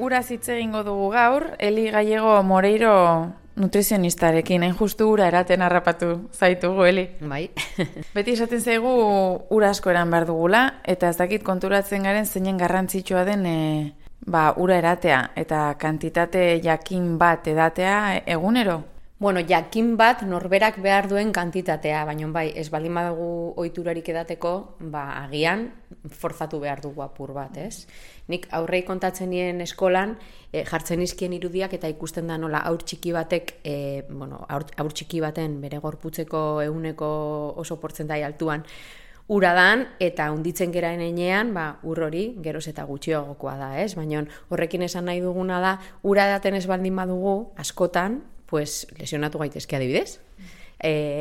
ura hitz egingo dugu gaur, Eli Gallego Moreiro nutrizionistarekin, hain justu ura eraten harrapatu zaitugu, Eli. Bai. Beti esaten zaigu ura asko eran behar dugula, eta ez dakit konturatzen garen zeinen garrantzitsua den ura eratea, eta kantitate jakin bat edatea egunero? Bueno, jakin bat norberak behar duen kantitatea, baina bai, ez baldin badugu ohiturarik edateko, agian forzatu behar dugu apur bat, ez? Nik aurrei kontatzen nien eskolan, jartzen izkien irudiak eta ikusten da nola haur txiki batek, haur txiki baten bere gorputzeko ehuneko oso portzentai altuan ura dan, eta hunditzen geraen enean, ur hori geroz eta gutxiagokoa da, ez? Baina horrekin esan nahi duguna da, ura edaten ez baldin badugu, askotan, lesionatu gaitezke adibidez.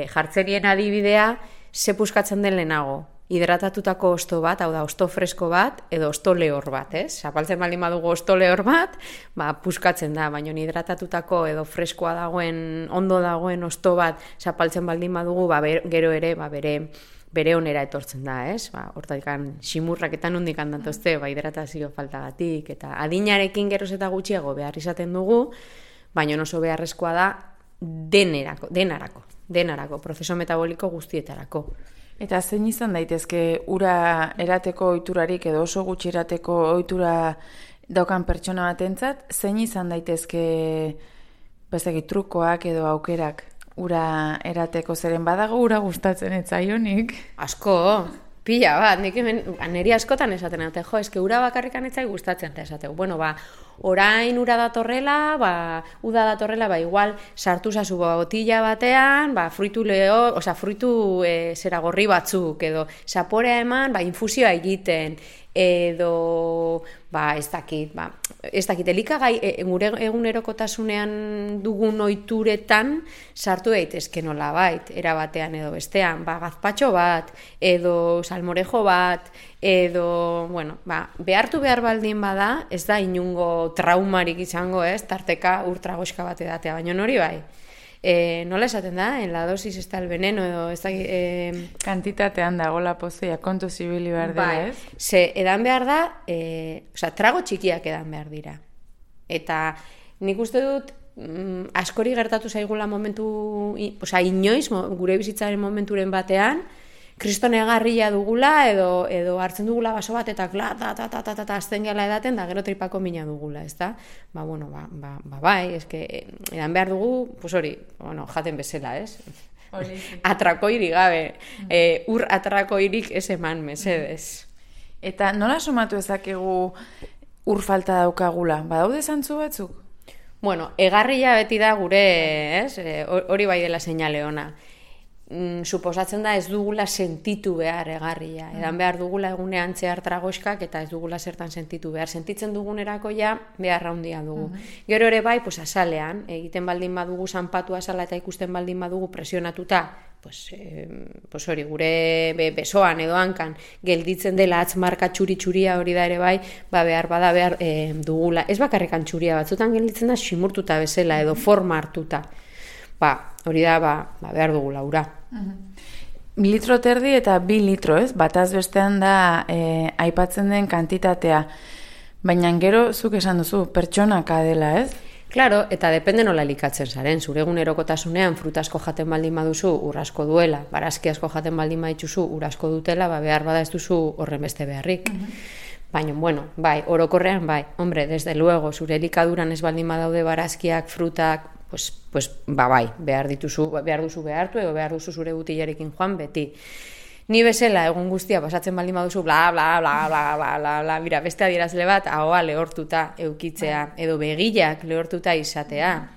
Jartzerien adibidea, ze puskatzen den lehenago. Hidratatutako osto bat, hau da, osto fresko bat, edo osto lehor bat, ez? Zapaltzen baldin badugu osto lehor bat, puskatzen da, baina hidratatutako edo freskoa dagoen, ondo dagoen osto bat, zapaltzen baldin badugu, gero ere, bere onera etortzen da, ez? Hortatikan simurraketan hundikan datozte, hidratazio faltagatik, eta adinarekin geroz eta gutxiago behar izaten dugu, baina oso beharrezkoa da denarako, prozeso metaboliko guztietarako. Eta zein izan daitezke ura erateko ohiturarik edo oso gutxi erateko ohitura daukan pertsona batentzat, zein izan daitezke trukoak edo aukerak ura erateko, zeren badago ura gustatzen ez zaionik? Asko, pila bat, nik hemen niri askotan esaten dute, eske ura bakarrikan ez zait gustatzen eta esateu. Bueno, orain ura datorrela, uda datorrela, igual sartu zazu botila batean, fruitu zera gorri batzuk, edo zaporea eman, infusioa egiten, edo, ez dakit, elikagai gure egunerokotasunean dugun ohituretan sartu daitezke nolabait, era batean edo bestean, gazpatxo bat, edo salmorejo bat, edo, behartu behar baldin bada, ez da inungo traumarik izango, ez, tarteka urtragoska bat edatea, baina hori bai. Nola esaten da, en la dosis está el veneno, edo ez da... Kantitatean dago la pozea, kontu zibili behar dira, ez? Ze, edan behar da, trago txikiak edan behar dira. Eta nik uste dut, askori gertatu zaigula momentu, inoiz, gure bizitzaren momenturen batean, kriston egarria dugula, edo hartzen dugula baso bat, eta azten gela edaten, da gero tripako mina dugula, ez da? Bai, eske, edan behar dugu, jaten bezala, ez? Atrakoirik gabe, ur atrakoirik ez eman, mesedez. Eta nola somatu ezakegu ur falta daukagula? Badaude zantzu batzuk? Bueno, egarria beti da gure, ez? Hori bai dela seinale ona. Suposatzen da ez dugula sentitu behar egarria. Edan behar dugula egunean zehar tragoskak eta ez dugula zertan sentitu behar. Sentitzen dugunerako ja behar handia dugu. Gero ere bai, azalean, egiten baldin badugu zanpatu azala eta ikusten baldin badugu presionatuta, hori gure besoan edo hankan gelditzen dela atzmarka txuri-txuria hori da ere bai, behar dugula. Ez bakarrekan txuria batzutan gelditzen da simurtuta bezala edo forma hartuta. Hori da, behar dugu laura. Litro terdi eta 2 litro, ez? Bataz bestean da aipatzen den kantitatea. Baina gero, zuk esan duzu, pertsonaka dela, ez? Claro, eta depende nola elikatzen zaren. Zure egunerokotasunean frutasko jaten baldin baduzu urasko duela, barazki asko jaten baldin badituzu urasko dutela, behar bada ez duzu horren beste beharrik. Baina, bai, orokorrean bai. Hombre, desde luego, zure elikaduran ez baldin badaude barazkiak, frutak, bai, behar duzu behartu edo behar duzu zure butilarekin joan beti. Ni bezala egun guztia pasatzen baldin baduzu bla bla bla bla bla bla bla, mira, beste adierazle bat ahoa lehortuta eukitzea edo begilak lehortuta izatea,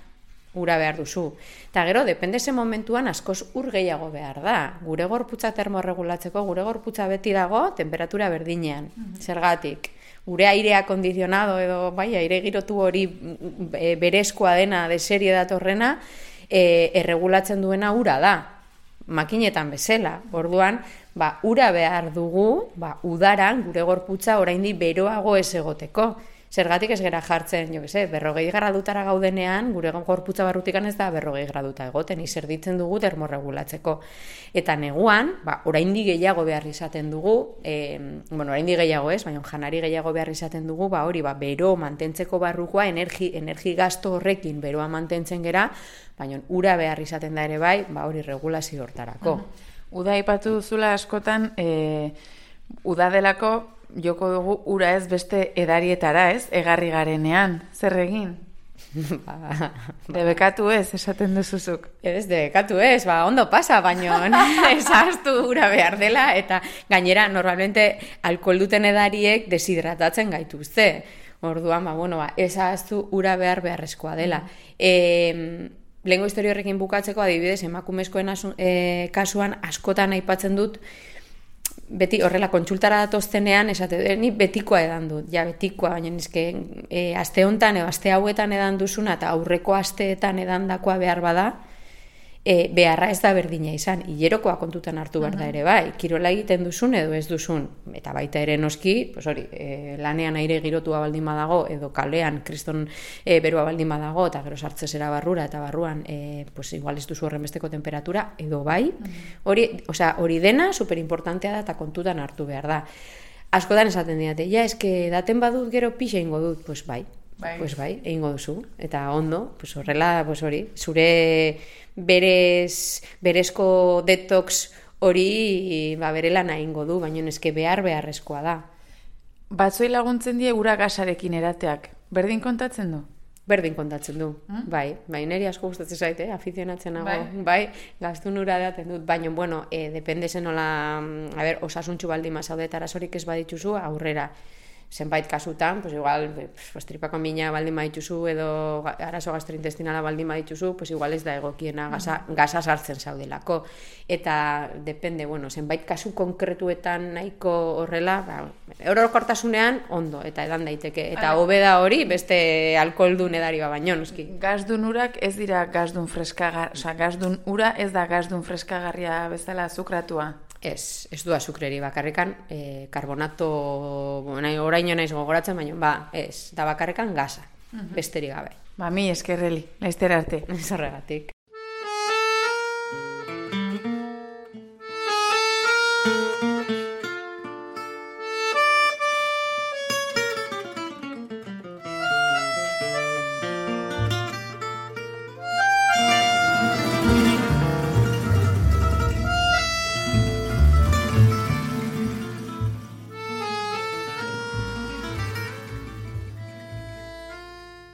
ura behar duzu. Eta gero, depende ze momentuan askoz ur gehiago behar da. Gure gorputza termorregulatzeko, gure gorputza beti dago temperatura berdinean, zergatik. Gure airea kondizionado edo aire girotu hori berezkoa dena, de serie datorrena, erregulatzen duena ura da, makinetan bezala. Orduan, ura behar dugu, udaran gure gorputza oraindik beroago ez egoteko. Zergatik ez gera jartzen, jo que 40 gradutara gaudenean, gure gorputza barrutikan ez da 40 graduta egoten, izerditzen dugu termorregulatzeko. Eta neguan, oraindik gehiago behar izaten dugu, oraindik gehiago ez, baina janari gehiago behar izaten dugu, hori, bero mantentzeko barrukoa, energi gasto horrekin beroa mantentzen gera, baina ura behar izaten da ere bai, hori regulazio hortarako. Uda aipatu duzula askotan, uda delako joko dugu ura ez beste edarietara, ez? Egarri garenean. Zer egin? Debekatu ez, esaten duzuzuk. Ez, debekatu ez, ondo pasa, baino esaztu ura behar dela, eta gainera, normalmente, alkohol duten edariek deshidratatzen gaituzte. Orduan, esaztu ura beharrezkoa dela. Lehengo historio horrekin bukatzeko, adibidez, emakumezkoen kasuan askotan aipatzen dut, beti horrela kontsultara datoztenean, ni betikoa edan dut, betikoa, baina nizke aste hontan edo aste hauetan edan duzuna eta aurreko asteetan edandakoa behar bada, beharra ez da berdina izan, hilerokoa kontutan hartu behar da ere bai, kirola egiten duzun edo ez duzun, eta baita ere noski, lanean aire girotua baldin badago, edo kalean kriston beroa baldin badago, eta gero sartzezera barrura, eta barruan, igual ez duzu horren besteko temperatura, edo bai, hori dena superimportantea da eta kontutan hartu behar da. Askotan esaten diate, eske daten badut gero pixa ingo dut, bai, egingo duzu, eta ondo, horrela, zure berezko detox hori bere lana egingo du, baina eske beharrezkoa da. Batzoi laguntzen die ura gasarekin erateak, berdin kontatzen du? Berdin kontatzen du, bai, niri asko gustatzen zait, afizionatzen nago, gaztun ura daten dut, baina, depende zen nola, osasuntxu baldin mazaudet arazorik ez badituzu, aurrera. Zenbait kasutan, igual, tripako mina baldin badituzu edo arazo gastrointestinala baldin badituzu, igual ez da egokiena gaza sartzen zaudelako. Eta, depende, zenbait kasu konkretuetan nahiko horrela, orokortasunean ondo, eta edan daiteke. Eta hobe da hori, beste alkoholdun edari baino, noski. Gazdun urak ez dira gazdun freskagarria, gazdun ura ez da gazdun freskagarria bezala azukratua. Ez du azukreri, bakarrekan karbonato, oraino naiz gogoratzen, baina ez, da bakarrekan gaza, besterik gabe. Mi eskerreli, laizter arte. Zorregatik.